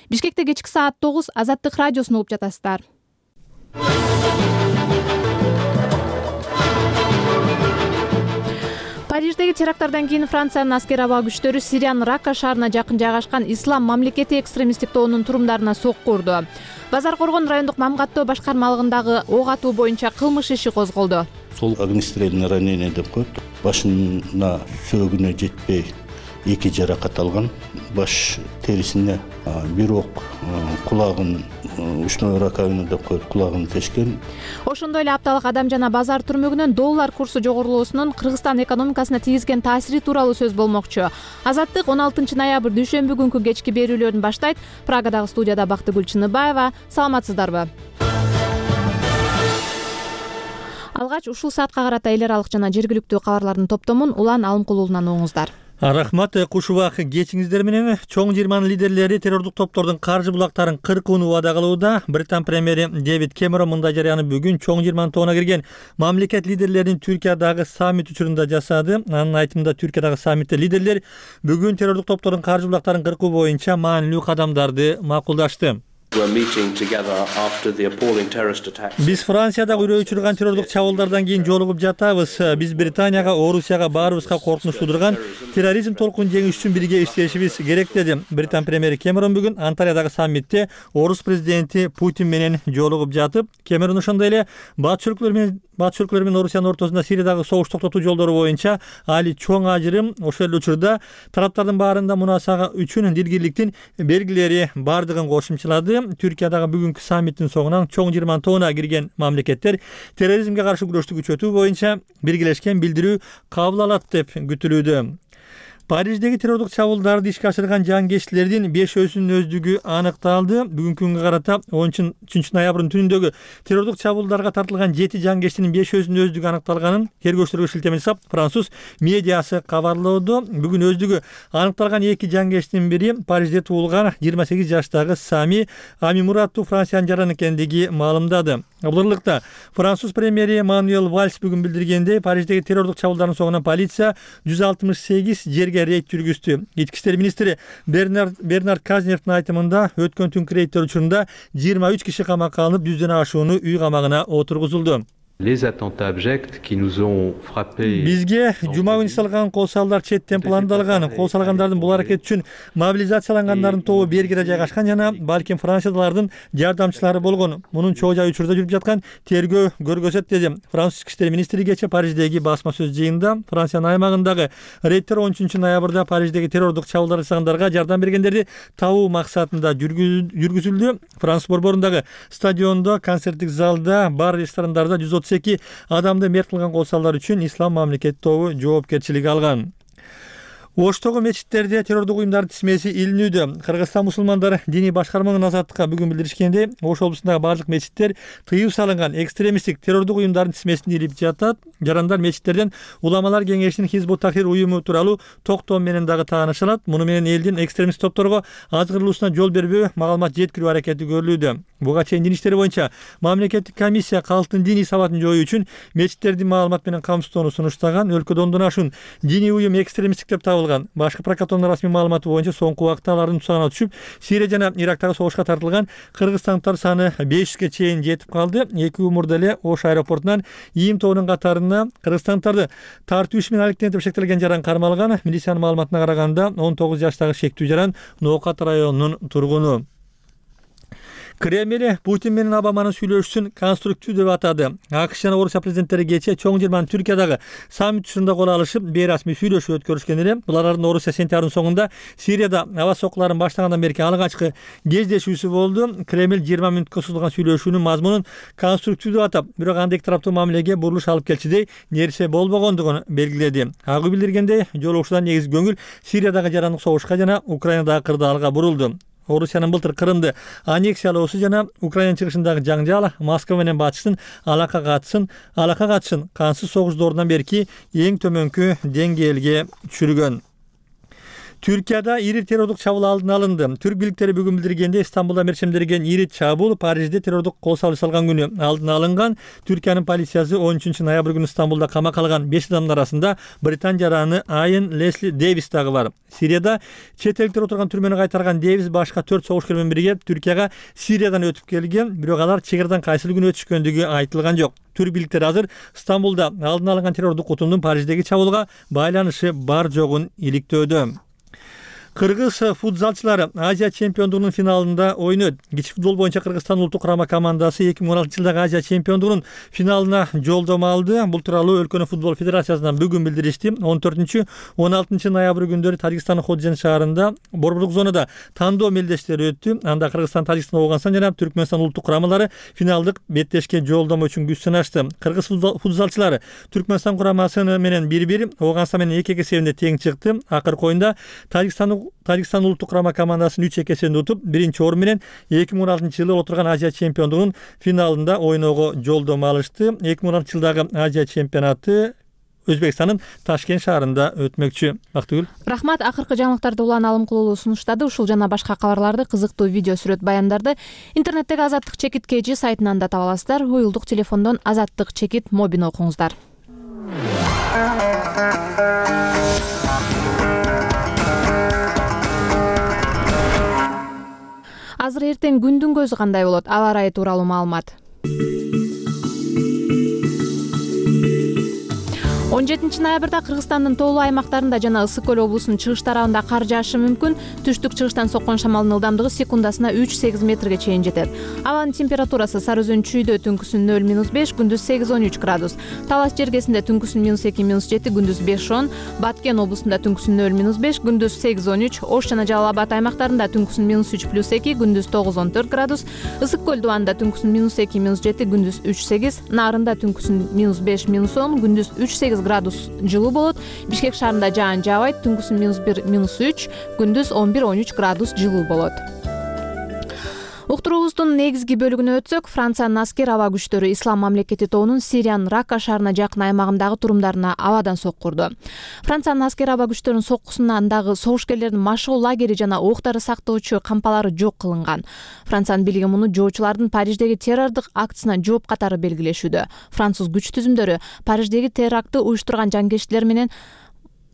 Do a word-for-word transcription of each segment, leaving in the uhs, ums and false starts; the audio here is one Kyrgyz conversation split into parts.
Бишкекте кечки саат тогуз Азаттык радиосун угуп жатасыздар. Париждеги теракттардан кийин Франциянын аскер аба күчтөрү Сириянын Рака шаарына жакын жайгашкан Ислам мамлекети экстремисттик тобунун турумдарына сокку урду. Базар Коргон райондук мамгаттоо башкармалыгындагы ок атуу боюнча кылмыш иши козголду. Сол огнестрельный ранение деп коет. Башына сөөгүнө жетпей эки жаракат алган. Баш терисине бир ок, кулагын ушной раковина деп коет, кулагын тешкен. Ошондой эле апталык адам жана базар түрмөгүнөн доллар курсу жогорулоосунун Кыргызстан экономикасына тийгизген таасири тууралуу сөз болмокчу. Азаттык он алтынчы ноябрь дүйшөмбү күнкү кечки берүүлөрүн баштайт. Прагадагы студияда Бактыгүл Чыныбаева. Саламатсыздарбы? Алгач ушул саатка карата эл аралык жана жергиликтүү кабарлардын топтомун Улан Алымкулуулунан оңуңуздар. Рахмат, куш убак кечиңиздер менен. Чоң жыйырманын лидерлери террордук топтордун каржы булактарын кыркууну убада кылууда. Британ премьери Дэвид Кэмерон мындай жарыяны бүгүн чоң жыйырманын тобуна кирген мамлекет лидерлеринин Түркиядагы саммит учурунда жасады. Анын айтымында Түркиядагы саммитте лидерлер бүгүн террордук топтордун каржы булактарын кыркуу боюнча маанилүү кадамдарды макулдашты. Биз Франциядагы үрөө учурган террордук чабуулдардан кийин жолугуп жатабыз. Биз Британияга, Орусияга баарыбызга коркунуч туудурган терроризм толкунун жеңиш үчүн бирге иштешибиз керек деди. Британ премьери Кэмерон бүгүн Анталиядагы саммитте Орус президенти Путин менен жолугуп жатып, Кэмерон ошондой эле батыш өлкөлөр менен Батыш өлкөлөр менен Орусиянын ортосунда Сириядагы согуш токтотуу жолдору боюнча али чоң ажырым, ошол эле учурда тараптардын баарында мунасага үчүн дилгирликтин белгилери бардыгын кошумчалады. Түркиядагы бүгүнкү саммиттин соңунан чоң жыйырманын тобуна кирген мамлекеттер терроризмге каршы күрөштү күчөтүү боюнча биргелешкен билдирүү кабыл алат деп күтүлүүдө. Париждеги террордук чабуулдарды ишке ашырган жангечтилердин бешөөсүнүн өздүгү аныкталды. Бүгүнкү күнгө карата он үчүнчү ноябрдын түнүндөгү террордук чабуулдарга тартылган жети жангечтинин бешөөсүнүн өздүгү аныкталганын тергөөчүлөргө шилтеме жасап француз медиасы кабарлоодо. Бүгүн өздүгү аныкталган эки жангечтин бири Парижде туулган жыйырма сегиз жаштагы Сами Амимураттуу Франциянын жараны экендиги маалымдады. Буларлыкта француз премьери Мануэль Вальс бүгүн билдиргендей, Париждеги террордук чабуулдардын соңунан полиция жүз алтымыш сегиз жерге рейд жүргүздү. Ички иштер министри Бернард Бернард Казневдин айтымында өткөн түнкү рейдтер учурунда жыйырма үч киши камакка алынып, жүздөн ашууну үй камагына отургузулду. Бизге жума күнү салган кол салдар четтен пландалган. Кол салгандардын бул аракет үчүн мобилизациялангандардын тобу Бергеде жайгашкан жана балким Франциядалардын жардамчылары болгон. Мунун чоо жай учурда жүрүп жаткан тергөө көргөзөт деди француз ички иштер министри кечээ Париждеги басма сөз жыйынында. Франциянын аймагындагы рейдтер он үчүнчү ноябрда Париждеги террордук чабуулдар жасагандарга жардам бергендерди табуу максатында жүргүзүлдү. Француз борборундагы стадиондо, концерттик залда, бар ресторандарда жүз отуз эки адамды мерт кылган кол салдар үчүн Ислам мамлекети тобу жоопкерчилик алган. Оштогу мечиттерде террордук уюмдардын тизмеси илинүүдө. Кыргызстан мусулмандары диний башкармалыгынын азаттыкка бүгүн билдиришкендей, Ош облусундагы бардык мечиттер тыюу салынган экстремисттик террордук уюмдардын тизмесине илип жатат. Жарандар мечиттерден Уламалар кеңешинин Хизбут Тахрир уюму тууралуу токтоо менен дагы тааныша алат. Муну менен элдин экстремист топторго азгырылуусуна жол бербөө, маалымат жеткирүү аракети көрүлүүдө. Буга чейин дин иштери боюнча мамлекеттик комиссия калктын диний сабатын жоюу үчүн мечиттердин маалымат менен камсыздоону сунуштаган. Өлкөдө ондон ашуун диний уюм экстремисттик деп табылган. Башкы прокуратуранын расмий маалыматы боюнча соңку убакта алардын тузагына түшүп, Сирия жана Ирактагы согушка тартылган кыргызстандыктар саны беш жүзгө чейин жетип калды. Эки умурда эле Ош аэропортунан ийим тобунун катарына кыргызстандыктарды тартуу иши менен алектенетип шектелген жаран кармалган. Милициянын маалыматына караганда он тогуз жаштагы шектүү жаран Ноокат районунун тургуну. Кремль Путин менен Обаманын сүйлөшүүсүн конструктив деп атады. АКШ жана Орусия президенттери кечээ чоң жыйырманын Түркиядагы саммит учурунда кол алышып, бейрасмий сүйлөшүү өткөрүшкөн эле. Булардын Орусия сентябрдын соңунда Сирияда аба соккуларын баштагандан бери алгачкы кездешүүсү болду. Кремль жыйырма мүнөткө созулган сүйлөшүүнүн мазмунун конструктив деп атап, бирок анда эки тараптуу мамилеге бурулуш алып келчидей нерсе болбогондугун белгиледи. Агы билдиргендей, жолугушуудан негизги көңүл Сириядагы жарандык согушка жана Украинадагы кырдаалга бурулду. Орусиянын былтыр Крымды аннексиялоосу жана Украина чыгышындагы жаңжал Москва менен батыштын алака катышын, алака катышын кансыз согуш доорунан берки эң төмөнкү деңгээлге түшүргөн. Түркияда ири террордук чабуул алдын алынды. Түрк бийликтери бүгүн билдиргенде Стамбулда мерчемдерген ири чабуул Парижде террордук кол салуу салган күнү алдын алынган. Түркиянын полициясы он үчүнчү ноябрь күнү Стамбулда камакка алган беш адамдын арасында Британ жараны Айен Лесли Дэвис дагы бар. Сирияда чет элдиктер отурган түрмөнү кайтарган Дэвис башка төрт согушкер менен бирге Түркияга Сириядан өтүп келген, бирок алар чек арадан кайсыл күнү өтүшкөндүгү айтылган жок. Түрк бийликтери азыр Стамбулда алдын алынган террордук утумдун Париждеги чабуулга байланышы бар жогун иликтөөдө. Кыргыз футзалчылары Азия чемпиондугунун финалында ойнойт. Кичи футбол боюнча Кыргызстан улуттук курама командасы эки миң он алтынчы жылдагы Азия чемпиондугунун финалына жолдомо алды. Бул тууралуу өлкөнүн футбол федерациясынан бүгүн билдиришти. он төртүнчү он алтынчы ноябрь күндөрү Тажикстандын Ходжент шаарында борбордук зонада тандоо мелдештери өттү. Анда Кыргызстан, Тажикстан, Ооганстан жана Түркмөнстан улуттук курамалары финалдык беттешке жолдомо үчүн күч сынашты. Кыргыз футзалчылары Түркмөнстан курамасы менен бир бир, Ооганстан менен эки эки эсебинде тең чыкты. Акыркы оюнда Тажикстан Тажикстан улуттук курама командасын үч эки эсебинде утуп, биринчи орун менен эки миң он алтынчы жылы отурган Азия чемпиондугунун финалында ойноого жолдомо алышты. эки миң он алтынчы жылдагы Азия чемпионаты Өзбекстандын Ташкент шаарында өтмөкчү. Бактыгүл. Рахмат, акыркы жаңылыктарды улан алым кылуу сунуштады. Ушул жана башка кабарларды, кызыктуу видео сүрөт баяндарды интернеттеги Азаттык чекит кж сайтынан да таба аласыздар. Уюлдук телефондон Азаттык чекит мобин окуңуздар. Азыр эртең күндүн көзү кандай болот? Аба ырайы тууралуу маалымат. он жетинчи ноябрда Кыргызстандын тоолуу аймактарында жана Ысык көл облусунун чыгыш тарабында кар жаашы мүмкүн. Түштүк чыгыштан соккон шамалдын ылдамдыгы секундасына үч сегиз метрге чейин жетет. Абанын температурасы Сары Өзөн чүйдө түнкүсүн нөл минус беш, күндүз сегиз он үч градус. Талас жергесинде түнкүсүн минус эки минус жети, күндүз беш он. Баткен облусунда түнкүсүн нөл минус беш, күндүз сегиз он үч. Ош жана Жалал Абад аймактарында түнкүсүн минус үч плюс эки, күндүз тогуз он төрт градус. Ысык көл дубанында түнкүсүн минус эки минус жети, күндүз үч сегиз. Нарында түнкүсүн минус беш минус он, күндүз үч сегиз градус жылуу болот. Бишкек шаарында жаан жаабайт, түнкүсүн минус бир минус үч, күндүз он бир он үч градус жылуу болот. Уктуруубуздун негизги бөлүгүнө өтсөк, Франциянын аскер аба күчтөрү Ислам мамлекети тобунун Сириянын Ракка шаарына жакын аймагындагы турумдарына абадан соккурду. Франциянын аскер аба күчтөрүнүн соккусунан дагы согушкерлердин машыгуу лагери жана октары сактоочу кампалары жок кылынган. Франциянын бийлиги муну жоочулардын Париждеги террордук актысына жооп катары белгилешүүдө. Француз күч түзүмдөрү Париждеги терактты уюштурган жангерчилер менен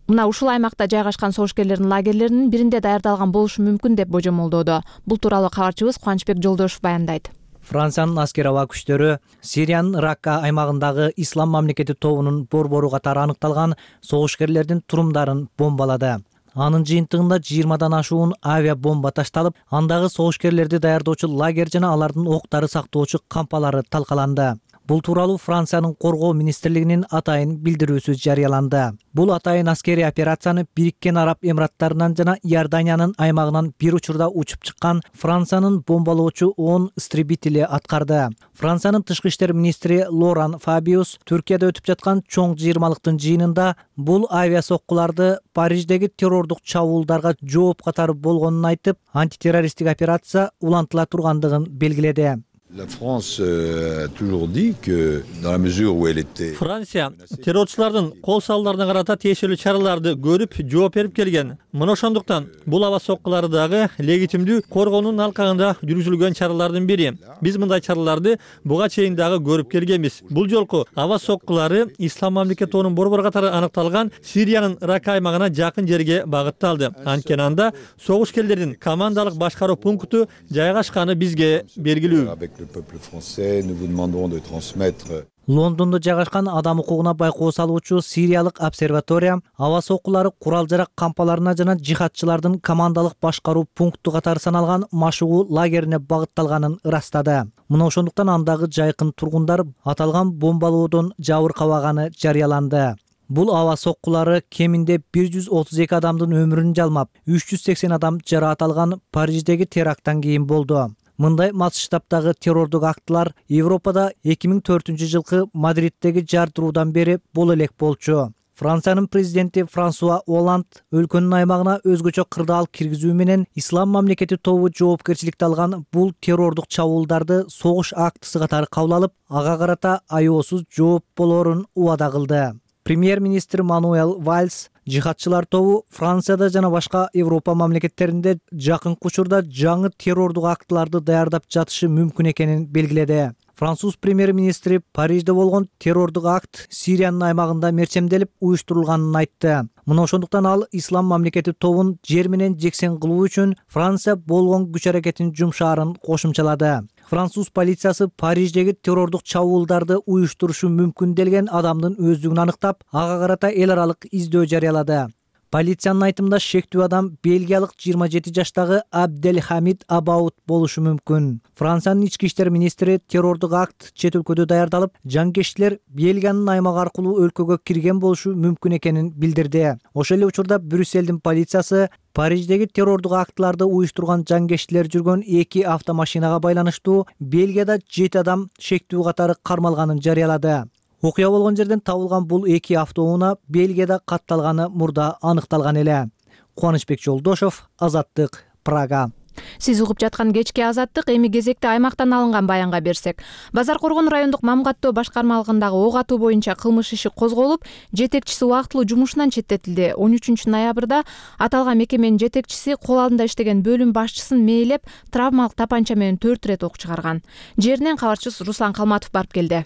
мына ушул аймакта жайгашкан согушкерлердин лагерлеринин биринде даярдалган болушу мүмкүн деп божомолдоодо. Бул тууралуу кабарчыбыз Кубанычбек Жолдошов баяндайт. Франциянын аскер аба күчтөрү Сириянын Ракка аймагындагы Ислам мамлекети тобунун борбору катары аныкталган согушкерлердин турумдарын бомбалады. Анын жыйынтыгында жыйырмадан ашуун авиа бомба ташталып, андагы согушкерлерди даярдоочу лагерь жана алардын октары сактоочу кампалары талкаланды. Бул тууралуу Франциянын коргоо министрлигинин атайын билдирүүсү жарыяланды. Бул атайын аскерий операцияны Бириккен Араб Эмираттарынан жана Иорданиянын аймагынан бир учурда учуп чыккан Франциянын бомбалоочу он истребители аткарды. Франциянын тышкы иштер министри Лоран Фабиус Түркияда өтүп жаткан чоң жыйырмалыктын жыйынында бул авиа соккуларды Париждеги террордук чабуулдарга жооп катары болгонун айтып, антитеррористтик операция улантыла тургандыгын белгиледи. La France a toujours dit que dans la mesure où elle était Франция террорчулардын кол салууларына карата тиешелүү чараларды көрүп, жооп берип келген. Мына ошондуктан бул аба соккулары дагы легитимдүү коргоонун алкагында жүргүзүлгөн чаралардын бири. Биз мындай чараларды буга чейин дагы көрүп келгенбиз. Бул жолку аба соккулары Ислам мамлекети тобунун борбору катары аныкталган Сириянын Ракка аймагына жакын жерге багытталды. Анткени анда согушкерлердин командалык башкаруу пункту жайгашканы бизге белгилүү. le peuple français, nous vous demanderons de transmettre. Лондондо жайгашкан адам укугуна байкоо салуучу Сириялык обсерватория аба соккулары курал-жарак кампаларына жана жихадчылардын командалык башкаруу пункту катары саналган машыгуу лагерине багытталганын ырастады. Мына ошондуктан андагы жайкын тургундар аталган бомбалоодон жабыркабаганы жарыяланды. Бул аба соккулары кеминде бир жүз отуз эки адамдын өмүрүн жалмап, үч жүз сексен адам жараат алган Париждеги теракттан кийин болду. Мындай масштабтагы террордук актылар Европада эки миң төртүнчү жылкы Мадриддеги жардыруудан бери боло элек болчу. Франциянын президенти Франсуа Оланд өлкөнүн аймагына өзгөчө кырдаал киргизүү менен Ислам мамлекети тобу жоопкерчиликти алган бул террордук чабуулдарды согуш актысы катары кабыл алып, ага карата аяосуз жооп болоорун убада кылды. Премьер-министр Мануэл Вальс жихадчылар тобу Францияда жана башка Европа мамлекеттеринде жакынкы учурда жаңы террордук актыларды даярдап жатышы мүмкүн экенин белгиледи. Француз премьер-министри Парижде болгон террордук акт Сириянын аймагында мерчемделип уюштурулганын айтты. Мына ошондуктан ал ислам мамлекети тобун жер менен жексен кылуу үчүн Франция болгон күч аракетин жумшаарын кошумчалады. Француз полициясы Париждеги террордук чабуулдарды уюштурушу мүмкүн делген адамдын өздүгүн аныктап, ага карата эл аралык издөө жарыялады. Полициянын айтымында шектүү адам бельгиялык жыйырма жети жаштагы Абделхамид Абаут болушу мүмкүн. Франциянын ички иштер министри террордук акт чет өлкөдө даярдалып, жаңкештилер Бельгиянын аймагы аркылуу өлкөгө кирген болушу мүмкүн экенин билдирди. Ошол эле учурда Брюссельдин полициясы Париждеги террордук актыларды уюштурган жаңкештилер жүргөн эки автомашинага байланыштуу Бельгияда жети адам шектүү катары кармалганын жарыялады. Окуя болгон жерден табылган бул эки автоунаа Бельгияда катталганы мурда аныкталган эле. Кубанычбек Жолдошов, Азаттык, Прага. Сиз угуп жаткан кечки Азаттык. Эми кезекте аймактан алынган баянга берсек. Базар Коргон райондук Мамгаттоо башкармалыгындагы ок атуу боюнча кылмыш иши козголуп, жетекчиси убактылуу жумушунан четтетилди. он үчүнчү ноябрда аталган мекеменин жетекчиси кол алдында иштеген бөлүм башчысын мээлеп, травмалык тапанча менен төрт ирет ок чыгарган. Жеринен кабарчыбыз Руслан Калматов барып келди.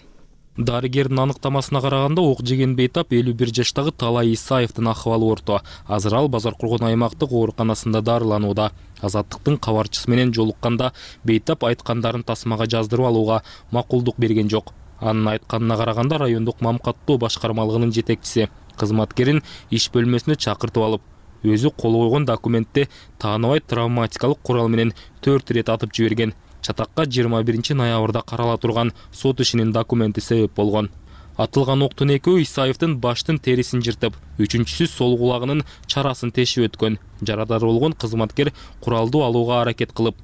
Дарыгердин аныктамасына караганда ок жеген бейтап элүү бир жаштагы Талай Исаевдин акыбалы орто. Азыр ал Базар Коргон аймактык ооруканасында дарыланууда. Азаттыктын кабарчысы менен жолукканда бейтап айткандарын тасмага жаздырып алууга макулдук берген жок. Анын айтканына караганда райондук Мамгаттоо башкармалыгынын жетекчиси кызматкерин иш бөлмөсүнө чакыртып алып, өзү кол койгон документте тааныбай травматикалык курал менен төрт ирет атып жиберген. Чатакка жыйырма биринчи ноябрда карала турган сот ишинин документи себеп болгон. Атылган октун экөө Исаевдин баштын терисин жыртып, үчүнчүсү сол кулагынын чарасын тешип өткөн. Жарадар болгон кызматкер куралды алууга аракет кылып,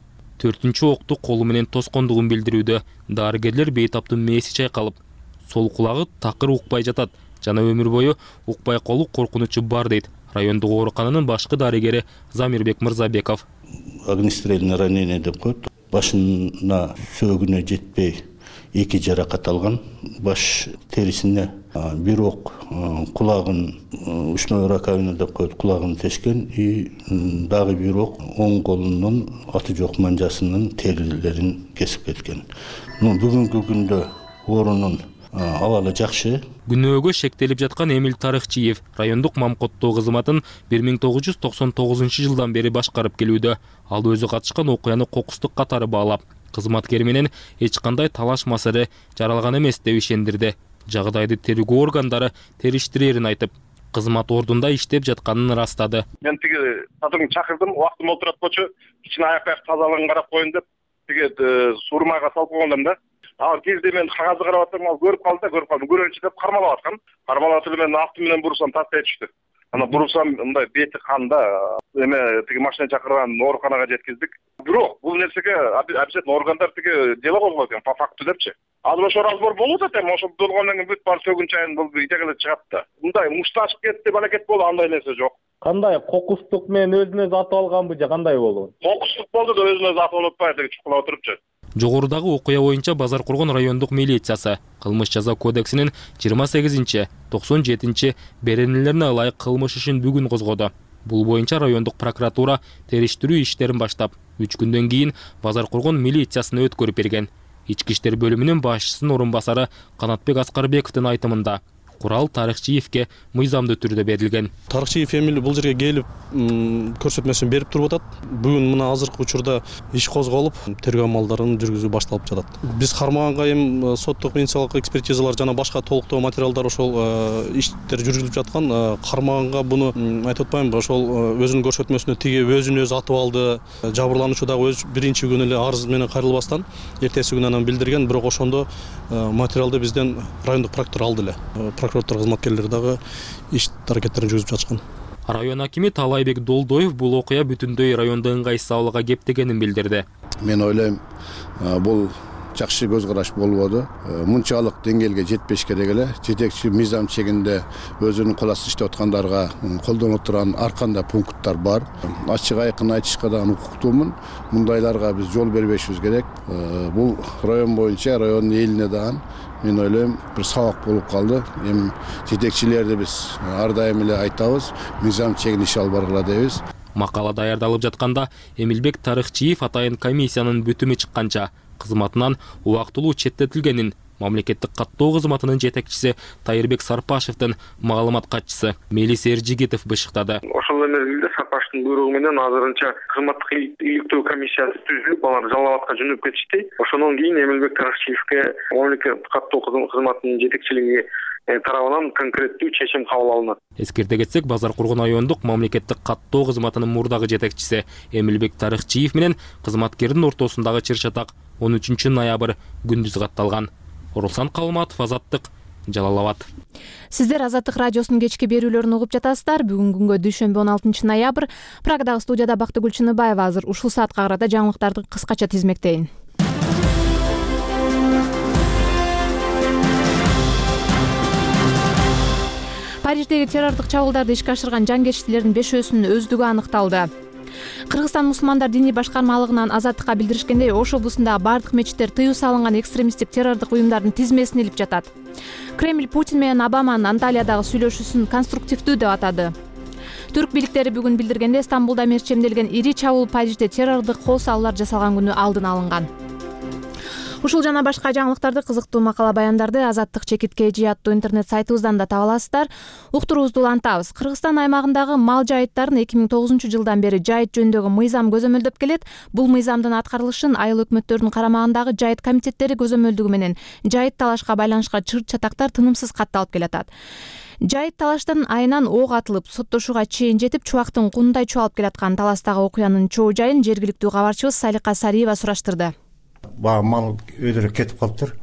төртүнчү окту колу менен тоскондугун билдирүүдө. Дарыгерлер бейтаптын мээси чайкалып, сол кулагы такыр укпай жатат жана өмүр бою укпай калуу коркунучу бар дейт райондук оорукананын башкы дарыгери Замирбек Мырзабеков. Огнестрельное ранение деп коет. Башына сөөгүнө жетпей эки жаракат алган. Баш терисине бир ок, кулагын ушной раковина деп коет, кулагын тешкен и дагы бир ок оң колунун аты жок манжасынын терилерин кесип кеткен. Бүгүнкү күндө оорунун абалы жакшы. Күнөөгө шектелип жаткан Эмил Тарыхчиев райондук Мамгаттоо кызматын бир миң тогуз жүз токсон тогузунчу жылдан бери башкарып келүүдө. Ал өзү катышкан окуяны кокустук катары баалап, кызматкери менен эч кандай талаш маселе жаралган эмес деп ишендирди. Жагдайды тергөө органдары териштирерин айтып, кызмат ордунда иштеп жатканын ырастады. Мен тиги сатырын чакырдым, убактым олтурат болчу, кичине аяк-аяк тазалыгын карап коеюн деп, тиги сурмага салып койгондум да. Ал кезде мен кагазды карап атсам, ал көрүп калды да, көрүп калдым. Көрөнчү деп кармалап аткан. Кармалап атып мен авто менен бурсам тастай түштү. Ана бурсам мындай бети канда, эме тиги машина чакырган ооруканага жеткиздик. Бирок бул нерсеге обязательно органдар тиги дело козгойт экен, по факту депчи. Азыр ошо разбор болуп атат эми, ошол болгондон кийин бүт бар сөгүн чайын бул итегеле чыгат да. Мындай мушташып кетти деп аракет болду, андай нерсе жок. Кандай кокустук менен өзүн өзү атып алганбы же кандай болгон? Кокустук болду да өзүн өзү атып алып атпайбы деп чукулап отурупчу. Жогорудагы окуя боюнча Базар Коргон райондук милициясы кылмыш жаза кодексинин жыйырма сегизинчи токсон жетинчи беренелерине ылайык кылмыш ишин бүгүн козгоду. Бул боюнча райондук прокуратура териштирүү иштерин баштап, үч күндөн кийин Базар Коргон милициясына өткөрүп берген. Ички иштер бөлүмүнүн башчысынын орун басары Канатбек Аскарбековдун айтымында курал Тарыхчиевке мыйзамдуу түрдө берилген. Тарыхчиев эми бул жерге келип көрсөтмөсүн берип туруп атат. Бүгүн мына азыркы учурда иш козголуп, тергөө амалдарын жүргүзүү башталып жатат. Биз кармаганга эми соттук медициналык экспертизалар жана башка толуктоо материалдар ошол иштер жүргүзүлүп жаткан. Кармаганга буну айтып атпаймынбы, ошол өзүнүн көрсөтмөсүнө тигип өзүн өзү атып алды. Жабырлануучу дагы өз биринчи күнү эле арыз менен кайрылбастан эртеси күнү анан билдирген, бирок ошондо материалды бизден райондук прокурор алды эле. Прокуратура кызматкерлери дагы иш аракеттерин жүргүзүп жатышкан. Район акими Талайбек Долдоев бул окуя бүтүндөй райондо ыңгайсыз абалга кептегенин билдирди. Мен ойлойм, бул жакшы көз караш болбоду. Мынчалык деңгээлге жетпеш керек эле. Жетекчи мыйзам чегинде өзүнүн кол астында иштеп аткандарга колдоно турган ар кандай пункттар бар. Ачык айкын айтышка дагы укуктуумун. Мындайларга биз жол бербешибиз керек. Бул район боюнча райондун элине дагы мен ойлойм бир сабак болуп калды. Эми жетекчилерди биз ар дайым эле айтабыз, мыйзам чегин иш алып баргыла дейбиз. Макала даярдалып жатканда Эмилбек Тарыхчиев атайын комиссиянын бүтүмү чыкканча кызматынан убактылуу четтетилгенин мамлекеттик каттоо кызматынын жетекчиси Тайырбек Сарпашевдин маалымат катчысы Мелис Эржигитов бышыктады. Ошол мезгилде Сарпашевдин буйругу менен азырынча кызматтык иликтөө комиссиясы түзүлүп, алар Жалал Абадка жөнөп кетишти. Ошондон кийин Эмилбек Тарыхчиевке мамлекеттик каттоо кызматынын жетекчилиги тарабынан конкреттүү чечим кабыл алынат. Эскерте кетсек, Базар Кургон райондук мамлекеттик каттоо кызматынын мурдагы жетекчиси Эмилбек Тарыхчиев менен кызматкердин ортосундагы чыр-чатак он үчүнчү ноябрь күндүз катталган. Орусан Калматов, Азаттык, Жалал Абад. Сиздер Азаттык радиосунун кечки берүүлөрүн угуп жатасыздар. Бүгүнкү күнгө дүйшөмбү он алтынчы ноябрь. Прагадагы студияда Бактыгүл Чыныбаева азыр ушул саатка карата жаңылыктарды кыскача тизмектейин. Париждеги террорлук чабуулдарды ишке ашырган жангечтилердин бешөөсүнүн өздүгү аныкталды. Кыргызстан мусулмандар диний башкармалыгынан Азаттыкка билдиришкендей, Ош облусундагы бардык мечиттер тыюу салынган экстремисттик террордук уюмдардын тизмесине илип жатат. Кремль Путин менен Обаманын Анталиядагы сүйлөшүүсүн конструктивдүү деп атады. Түрк бийликтери бүгүн билдиргенде, Стамбулда мерчемделген ири чабуул Парижде террордук кол салуулар жасалган күнү алдын алынган. Ушул жана башка жаңылыктарды, кызыктуу макала баяндарды Азаттык чекит кей жи аттуу интернет сайтыбыздан да таба аласыздар. Уктуруубузду улантабыз. Кыргызстан аймагындагы мал жайыттарын эки миң тогузунчу жылдан бери жайыт жөнүндөгү мыйзам көзөмөлдөп келет. Бул мыйзамдын аткарылышын айыл өкмөттөрдүн карамагындагы жайыт комитеттери көзөмөлдүгү менен жайыт талашка байланышка чыр-чатактар тынымсыз катталып келатат. Жайыт талаштан айынан ок атылып, соттошууга чейин жетип, чубактын кундай чуалып келаткан таластагы окуянын чоо жайын жергиликтүү кабарчыбыз Салика Сариева сураштырды. Баягы мал өйдөрүп кетип калыптыр.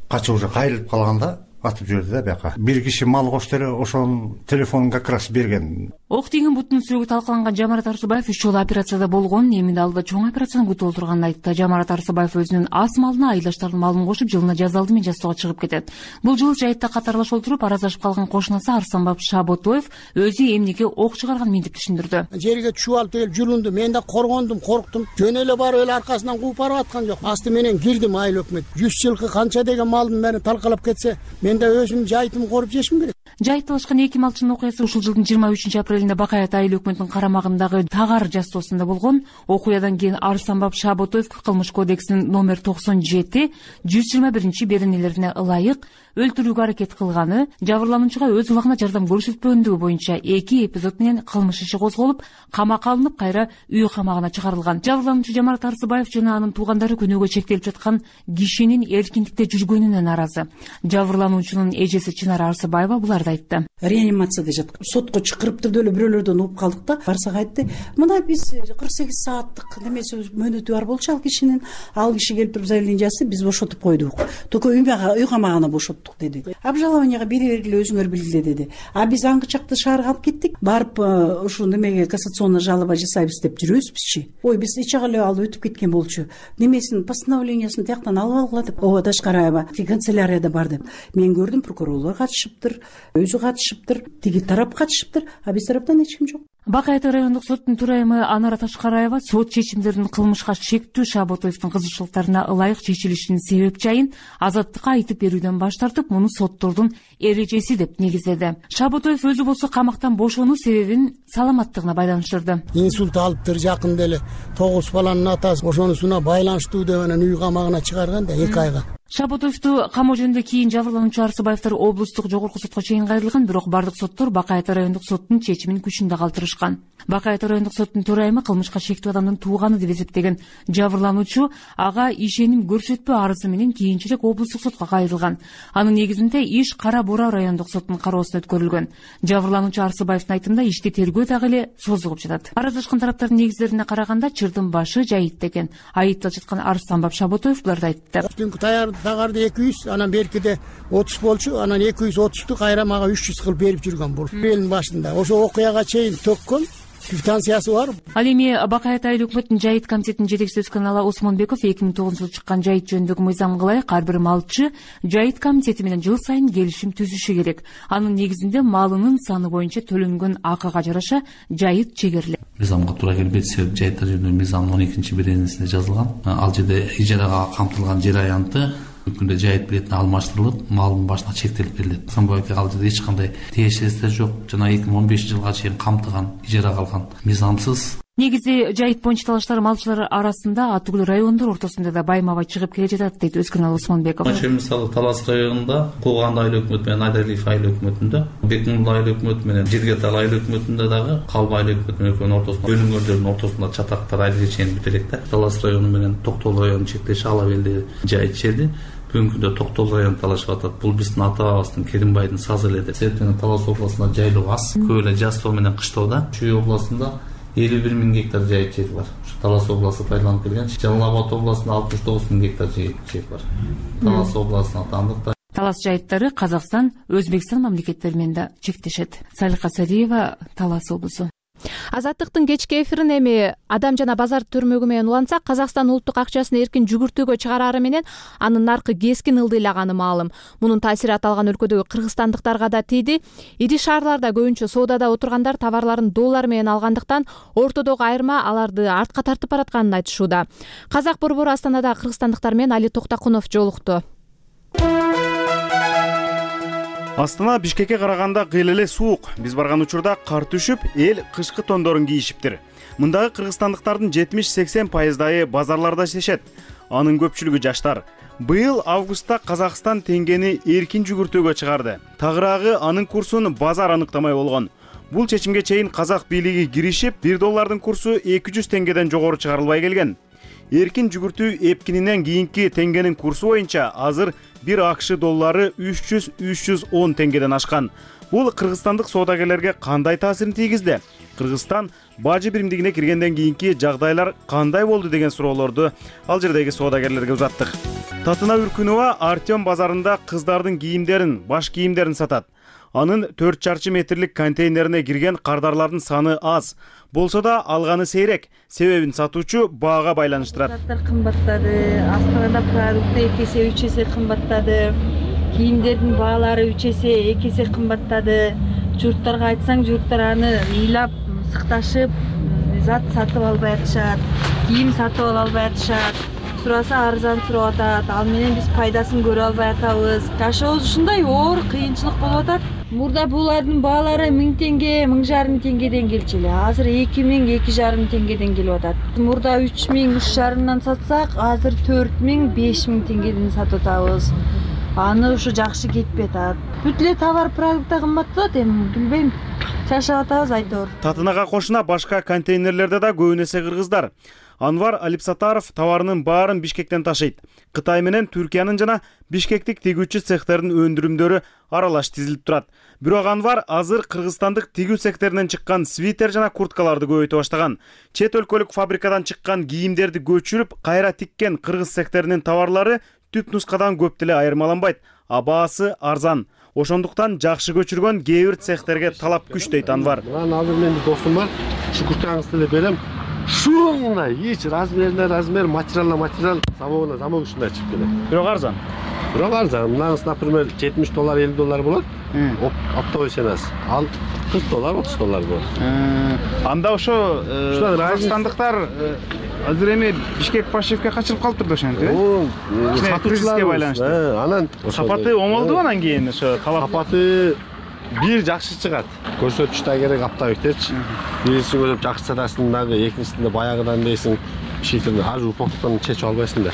Качып уже кайрылып калганда атып жиберди да бияка. Бир киши мал кошту эле, ошонун телефонун как раз берген. Ок тиген бутунун сүрөгү талкаланган Жамарат Арсыбаев үч жолу операцияда болгон, эми алдыда чоң операцияны күтүп отурганын айтты. Жамарат Арсыбаев өзүнүн ас малына айылдаштардын малын кошуп, жылына жаз алды менен жасоого чыгып кетет. Бул жолу жайытта катарлаш олтуруп, аразашып калган кошунасы Арсанбап Шаботоев өзү эмнеге ок чыгарганын мынтип түшүндүрдү. Жерге чубалып келип жүрүндү, мен да коргондум, корктум. Жөн эле барып эле аркасынан кууп барып аткан жок. Асты менен кирдим айыл өкмөт. жүз жылкы канча деген малдын баары талкалап кетсе, мен да өзүм жайытымды коруп жешим керек. Жайыт талашкан эки малчынын окуясы ушул жылдын жыйырма үчүнчү апрелинде Бакай ата айыл өкмөтүнүн карамагындагы Тагар жасоосунда болгон. Окуядан кийин Арсанбап Шаботоев кылмыш кодексинин номер токсон жети жүз жыйырма биринчи беренелерине ылайык өлтүрүүгө аракет кылганы, жабырлануучуга өз убагында жардам көрсөтпөгөндүгү боюнча эки эпизод менен кылмыш иши козголуп, камакка алынып, кайра үй камагына чыгарылган. Жабырлануучу Жамарат Арсыбаев жана анын туугандары күнөөгө чектелип жаткан кишинин эркиндикте жүргөнүнө нааразы. Жабырлануучунун эжеси Чынара Арсыбаева буларды айтты. Реанимацияда жаткан. Сотко чакырыптыр деле бирөөлөрдөн угуп калдык да. Барсак айтты, мына биз кырк сегиз сааттык немеси мөөнөтү бар болчу ал кишинин. Ал киши келип туруп заявление жазды, биз бошотуп койдук. Только үй камагына бошоттук деди. Обжалованияга бере бергиле, өзүңөр билгиле деди. А биз аңгычакты шаарга алып кеттик. Барып ушу немеге кассационный жалоба жасайбыз деп жүрөбүзбүзчү. Ой, биз эч жагы эле алып өтүп кеткен болчу. Немесин постановлениясын тияктан алып алгыла деп. Ооба Ташкараева канцелярияда бар деп. Мен көрдүм, прокурорлор катышыптыр, өзү катышыптыр, тиги тарап катышыптыр, а биз тараптан эч ким жок. Бакай райондук соттун төрайымы Анара Ташкараева сот чечимдеринин кылмышка шектүү Шаботоевдун кызыкчылыктарына ылайык чечилишинин себеп жайын Азаттыкка айтып берүүдөн баш тартып, муну соттордун эрежеси деп негиздеди. Шаботоев өзү болсо камактан бошонуу себебин саламаттыгына байланыштырды. Инсульт алыптыр жакында эле, тогуз баланын атасы ошонусуна байланыштуу деп анан үй камагына чыгарган да эки айга. Шаботоевду камоо жөнүндө кийин жабырлануучу Арсыбаевдер облустук жогорку сотко чейин кайрылган, бирок бардык соттор Бакай райондук соттун чечимин күчүндө калтырышкан. Бакай райондук соттун төрайымы кылмышка шектүү адамдын тууганы деп эсептеген жабырлануучу ага ишеним көрсөтпөө арызы менен кийинчерээк облустук сотко кайрылган. Анын негизинде иш Кара Бура райондук соттун кароосуна өткөрүлгөн. Жабырлануучу Арсыбаевдин айтымында ишти тергөө дагы эле созулуп жатат. Араздашкан тараптардын негиздерине караганда чырдын башы жайыт деген. Айыпталып жаткан Арсанбап Шаботоев буларды айтты. Тагарды эки жүз, анан беркиде отуз болчу, анан эки жүз отузду кайра мага үч жүз кылып берип жүргөн бул. Апрелдин башында ошо окуяга чейин төккөн, квитанциясы бар. Ал эми Бакай Ата айыл өкмөтүнүн жайыт комитетинин жетекчиси Өскөналы Осмонбеков эки миң тогузунчу жылы чыккан жайыт жөнүндөгү мыйзамга ылайык ар бир малчы жайыт комитети менен жыл сайын келишим түзүшү керек. Анын негизинде малынын саны боюнча төлөнгөн акыга жараша жайыт чегерилет. Мыйзамга туура келбейт, себеби жайыттар жөнүндөгү мыйзамдын он экинчи беренесинде жазылган. Ал жерде ижарага камтылган жер аянты күндө жайыт билетине алмаштырылып, малдын башына чектелип берилет. Сомбойке ал жерде эч кандай тиешеси жок. Жана эки миң он бешинчи жылга чейин камтыган ижарага алган мыйзамсыз. Негизи жайыт боюнча талаштар малчылар арасында ат түгүл райондор ортосунда да байма-бай чыгып келе жатат, дейт Өскөналы Осмонбеков. Мисалы Талас районунда Кулган айыл өкмөтү менен Айдарлиев айыл өкмөтүндө, Бекмулла айыл өкмөтү менен Жиргетал айыл өкмөтүндө дагы Калба айыл өкмөтүнүн экөөнүн ортосунда бөлүнгөндөрдүн ортосунда чатактар айыл чейин бүт элек да. Талас району менен Токтол районунун чектеши ала белди жайыт жерди. Бүгүнкү күндө Токтол району талашып атат. Бул биздин ата-бабабыздын Керимбайдын сазы эле деп. Себептен Талас областында жайлоо аз, көп эле жаз тоо менен кыштоодо. Чүй областында элүү бир миң гектар жайыт жер бар. Талас областы пайдаланып келген. Жалал Абад областында алтымыш тогуз миң гектар жер бар. Талас областына таандык. Талас жайыттары Казакстан, Өзбекстан мамлекеттери менен да чектешет. Салиха Сариева, Талас облусу. Азаттыктын кечки эфирин эми Адам жана базар түрмөгү менен улантсак, Казакстан улуттук акчасын эркин жүгүртүүгө чыгарары менен анын наркы кескин ылдыйлаганы маалым. Мунун таасири аталган өлкөдөгү кыргызстандыктарга да тийди. Ири шаарларда көбүнчө соодада отургандар товарларын доллар менен алгандыктан ортодогу айырма аларды артка тартып баратканын айтышууда. Казак борбору Астанада кыргызстандыктар менен Али Токтакунов жолукту. Астана Бишкекке караганда кыйла эле суук. Биз барган учурда кар түшүп, эл кышкы тондорун кийишиптир. Мындагы кыргызстандыктардын жетимиш сексен пайыздайы базарларда иштешет. Анын көпчүлүгү жаштар. Быйыл августта Казакстан теңгени эркин жүгүртүүгө чыгарды. Тагыраагы анын курсун базар аныктамай болгон. Бул чечимге чейин казак бийлиги киришип, бир доллардын курсу эки жүз теңгеден жогору чыгарылбай келген. Эркин жүгүртүү эпкининен кийинки теңгенин курсу боюнча азыр бир акш доллары үч жүз үч жүз он теңгеден ашкан. Бул кыргызстандык соодагерлерге кандай таасирин тийгизди? Кыргызстан бажы биримдигине киргенден кийинки жагдайлар кандай болду деген суроолорду ал жердеги соодагерлерге узаттык. Татына Үркүнова Артем базарында кыздардын кийимдерин, баш кийимдерин сатат. Анын төрт чарчы метрлик контейнерине кирген кардарлардын саны аз. Болсо да алганы сейрек. Себебин сатуучу баага байланыштырат. Заттар кымбаттады. Астанада продукты эки эсе үч эсе кымбаттады. Кийимдердин баалары үч эсе эки эсе кымбаттады. Журттарга айтсаң, журттар аны ыйлап, сыкташып, зат сатып албай атышат. Кийим сатып ала албай атышат. Сураса арзан сурап атат. Ал менен биз пайдасын көрө албай атабыз. Жашообуз ушундай оор кыйынчылык болуп атат. Мурда булардын баалары миң теңге, миң жарым теңгеден келчү эле. Азыр эки миң, эки жарым теңгеден келип атат. Мурда үч миң, үч жарымдан сатсак, азыр төрт миң, беш миң теңгеден сатып атабыз. Аны ушу жакшы кетпей атат. Бүт эле товар продукты кымбатталат, эми билбейм. Жашап атабыз айтор. Татынага кошуна башка контейнерлерде да көбүн эсе кыргыздар. Анвар Алипсатаров товарынын баарын Бишкектен ташыйт. Кытай менен Түркиянын жана бишкектик тигүүчү цехтердин өндүрүмдөрү аралаш тизилип турат. Бирок Анвар азыр кыргызстандык тигүү цехтеринен чыккан свитер жана курткаларды көбөйтө баштаган. Чет өлкөлүк фабрикадан чыккан кийимдерди көчүрүп, кайра тиккен кыргыз цехтеринин товарлары түп нускадан көп деле айырмаланбайт, а баасы арзан. Ошондуктан жакшы көчүргөн кээ бир цехтерге талап күч дейт Анвар. Мен азыр менин досум бар, шукуртаңызды эле берем. Шуна эч размерине размер, материалына материал, замогуна замок ушундай чыгып келет. Бирок арзан. Бирок арзан. Мынаңыз, например, жетимиш доллар, элүү доллар болот. Оптовый ценасы. Ал кырк доллар, отуз доллар болот. Анда ошо кыргызстандыктар азыр эми Бишкек Пашевке качырып калыптыр да ошентип, э? Сатуучуларга байланыштуу. Анан сапаты оңолду анан кийин ошо сапаты бир жакшы чыгат. Көрсөтүш да керек аптабектерчи. Биринчи көрүп жакшы сатасың дагы, экинчисинде баягыдан дейсиң, шийтерди ажы упоктон чечип албайсың да.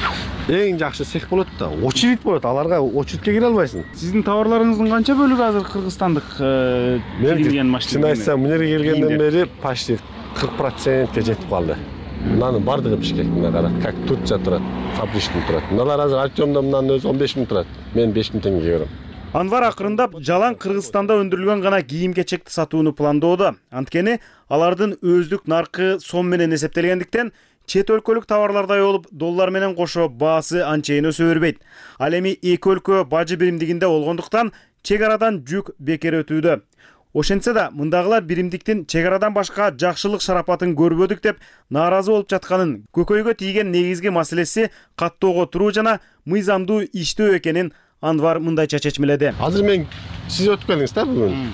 Эң жакшы цех болот да. Очередь болот, аларга очередке кире албайсың. Сиздин товарларыңыздын канча бөлүгү азыр кыргызстандык кирген машина? Чын айтсам, мына жерге келгенден бери почти кырк процентке жетип калды. Мынанын бардыгы Бишкектин кара, как Турция турат, фабричный турат. Мыналар азыр Артемдо мынанын өзү он беш миң турат. Мен беш миң теңгеге берем. Анвар акырындап жалаң Кыргызстанда өндүрүлгөн гана кийим-кечекти сатууну пландоодо. Анткени алардын өздүк наркы сом менен эсептелгендиктен чет өлкөлүк товарлардай болуп, доллар менен кошо баасы анчейин өсө бербейт. Ал эми эки өлкө бажы биримдигинде болгондуктан чек арадан жүк бекер өтүүдө. Ошентсе да мындагылар биримдиктин чек арадан башка жакшылык шарапатын көрбөдүк деп нааразы болуп жатканын, көкөйгө тийген негизги маселеси каттоого туруу жана мыйзамдуу иштөө экенин Анвар мындайча чечмеледи. Азыр мен сиз өтүп келдиңиз да бүгүн.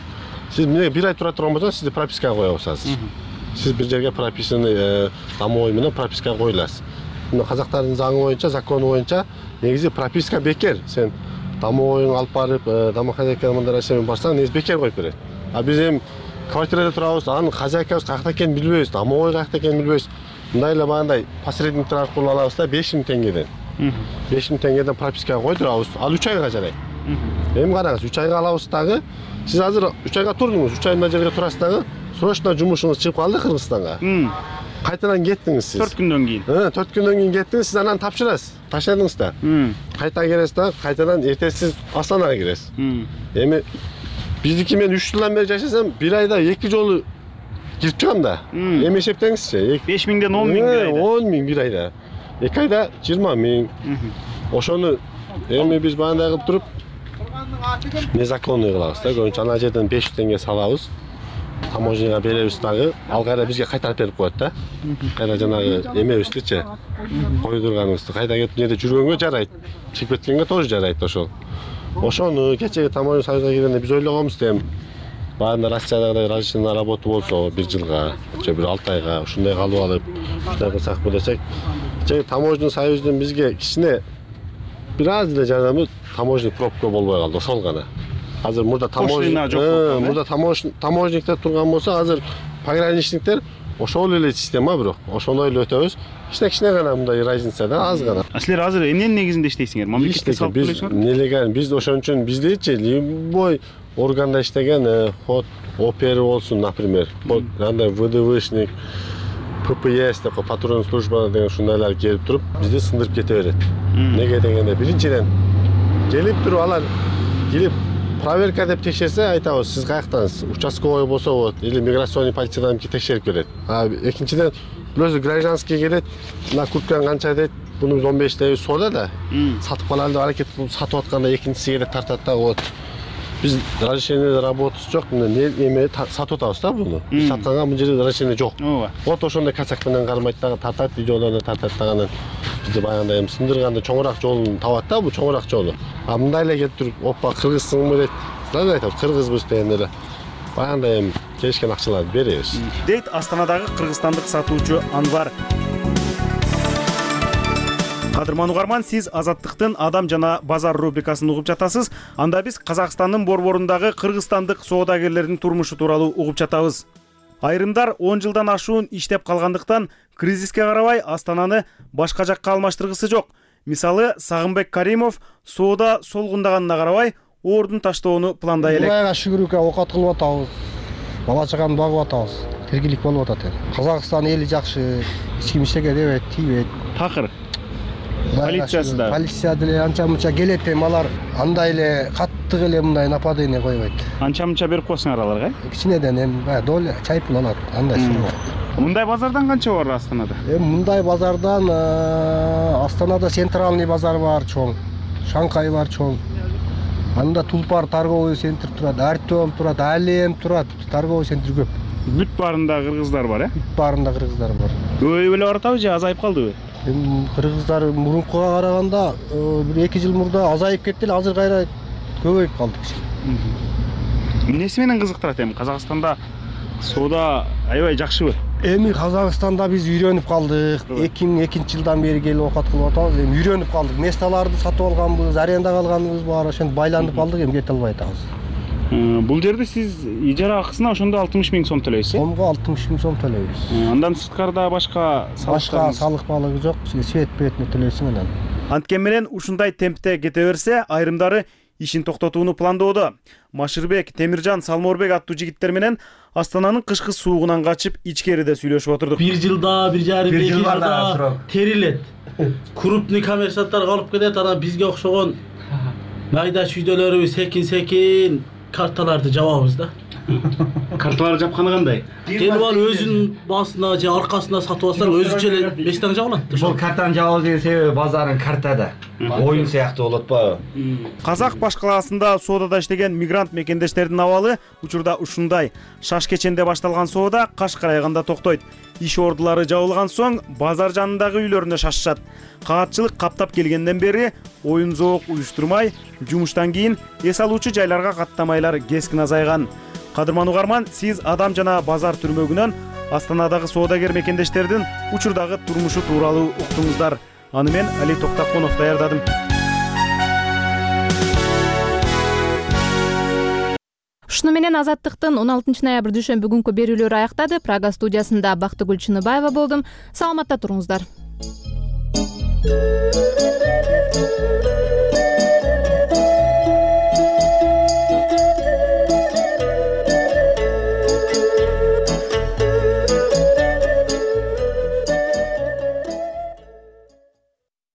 Сиз эмне бир ай тура турган болсоңуз, сизди пропискага коебуз азыр. Сиз бир жерге прописаны домой менен пропискага коюласыз. Мына казактардын заңы боюнча, закону боюнча негизи прописка бекер. Сен домойуңду алып барып, домохозяйка мындай нерсемен барсаң, негизи бекер коюп берет. А биз эми квартирада турабыз, анын хозяйкабыз каякта экенин билбейбиз, домой каякта экенин билбейбиз. Мындай эле багандай посредниктер аркылуу алабыз да беш миң теңгеден. беш миң теңгеден пропискага койдурабыз. Ал үч айга жарайт. Эми караңыз, үч айга алабыз дагы. Сиз азыр үч айга турдуңуз, үч ай мына жерге турасыз дагы. Срочно жумушуңуз чыгып калды Кыргызстанга. Кайтадан кеттиңиз сиз. төрт күндөн кийин. Э, төрт күндөн кийин кеттиңиз, сиз анан тапшырасыз. Таштадыңыз да. Кайта келесиз да, кайтадан эртеси сиз Астанага киресиз. Эми биздики мен үч жылдан бери жашасам, бир айда эки жолу кирип чыгам да. Эми эсептеңизчи. беш миңден он миң бир айда. он миң бир айда. эки айда жыйырма миң. Ошону эми биз баандай кылып туруп незаконный кылабыз да. Көбүнчө ана жерден беш жүз теңге салабыз. Таможняга беребиз дагы, ал кайра бизге кайтарып берип коет да. Кайра жанагы эмебиздичи, койдурганыбызды кайда кетип жерде жүргөнгө жарайт. Чыгып кеткенге тоже жарайт ошол. Ошону кечеги таможня союзуна киргенде биз ойлогонбуз дем. Баанда Россиядагы разрешение на работу болсо бир жылга, же бир алты айга ушундай калып алып, ушундай кылсакпы десек, кечеги таможня союзунун бизге кичине бир аз эле жардамы таможня пробка болбой калды, ошол гана. Азыр мурда таможня жок. Мурда таможниктер турган болсо, азыр пограничниктер ошол эле система бирок. Ошондой эле өтөбүз. Кичине-кичине гана мындай разница да, аз гана. А силер азыр эмненин негизинде иштейсиңер? Мамлекетке салып төлөйсүңөр? Нелегал, биз ошон үчүн биздичи любой органда иштеген ход опер болсун, например, андай ВДВшник, ППС деп патрульный служба деген ушундайлар келип туруп, бизди сындырып кете берет. Неге дегенде биринчиден келип туруп алар келип проверка деп текшерсе, айтабыз, сиз каяктансыз? Участковой болсо болот, или миграционный полициядан текшерип келет. А экинчиден өзү гражданский келет, мына курткаң канча дейт, буну биз он беш дейбиз соода да. Сатып калалы деп аракет кылып сатып атканда экинчиси келет тартат да болот. Биз разрешение работасы жок, эме сатып атабыз да буну. Биз сатканга бул жерде разрешение жок. Вот ошондой касак менен кармайт дагы, тартат, видеолорду тартат дагы. Бизде баягындай эми сындырганда чоңураак жолун табат да, бул чоңураак жолу. А мындай эле келип туруп, опа, кыргызсыңбы дейт. Сразу айтабыз, кыргызбыз деген эле. Баягындай эми келишкен акчаларды беребиз. Дейт Астанадагы кыргызстандык сатуучу Анвар. Кадырман угарман, сиз Азаттыктын Адам жана базар рубрикасын угуп жатасыз. Анда биз Казакстандын борборундагы кыргызстандык соодагерлердин турмушу тууралуу угуп жатабыз. Айрымдар он жылдан ашуун иштеп калгандыктан кризиске карабай Астананы башка жакка алмаштыргысы жок. Мисалы, Сагынбек Каримов соода солгундаганына карабай ордун таштоону пландай элек. Кудайга шүгүрүккө окат кылып атабыз. Бала чаганы багып атабыз. Тиргилик болуп атат. Казакстан эли жакшы, эч ким иштеге дебейт, тийбейт. Такыр. Полициясы да. Полиция деле анча-мынча келет эми алар андай эле каттык эле мындай нападение койбойт. Анча-мынча берип коесуңар аларга? Кичинеден эми баягы доля чай пул алат, андай сурма. Мындай базардан канча бар Астанада? Эми мындай базардан Астанада центральный базар бар чоң, Шанхай бар чоң. Анда Тулпар торговый центр турат, Артем турат, Алем турат, торговый центр көп. Бүт баарында кыргыздар бар, э? Бүт баарында кыргыздар бар. Көбөйүп эле баратабы же азайып калдыбы? Эми кыргыздар мурункуга караганда бир эки жыл мурда азайып кетти эле, азыр кайра көбөйүп калды. Эмнеси менен кызыктырат эми Казакстанда соода аябай жакшыбы? Эми Казакстанда биз үйрөнүп калдык. эки миң экинчи жылдан бери келип окат кылып атабыз. Эми үйрөнүп калдык. Месталарды сатып алганбыз, арендага алганыбыз бар, ошентип байланып калдык, эми кете албай атабыз. Бул жерде сиз ижара акысына ошондо алтымыш миң сом төлөйсүз. Сомго алтымыш миң сом төлөйбүз. Андан сырткарда башка башка салык балыгы жок, свет бетине төлөйсүң анан. Анткен менен ушундай темпте кете берсе, айрымдары ишин токтотууну пландоодо. Машырбек, Темиржан, Салморбек аттуу жигиттер менен Астананын кышкы суугунан качып ичкериде сүйлөшүп отурдук. Бир жылда, бир жарым, эки жылда терилет. Крупный коммерсанттар алып кетет, анан бизге окшогон майда чүйдөлөрүбүз секин-секин карталарды жабабыз да. Карталарды жапканы кандай? Келип алып өзүнүн басына же аркасына сатып алсаң өзүнчө эле беш таң жабылат. Бул картаны жабуу деген себеби базардын картада. оюн сыяктуу болот атпайбы? Казак баш калаасында соодада иштеген мигрант мекендештердин абалы учурда ушундай. Шаш кеченде башталган соода каш карайганда токтойт. Иш ордулары жабылган соң базар жанындагы үйлөрүнө шашышат. Каатчылык каптап келгенден бери оюн зоок уюштурмай, жумуштан кийин эс алуучу жайларга каттамайлар кескин азайган. Кадырман угарман, сиз Адам жана базар түрмөгүнөн Астанадагы соодагер мекендештердин учурдагы турмушу тууралуу уктуңуздар. Аны мен Али Токтаконов даярдадым. Ушуну менен Азаттыктын он алтынчы ноябрь дүйшөмбү күнкү берүүлөрү аяктады. Прага студиясында Бактыгүл Чыныбаева болдум. Саламатта туруңуздар.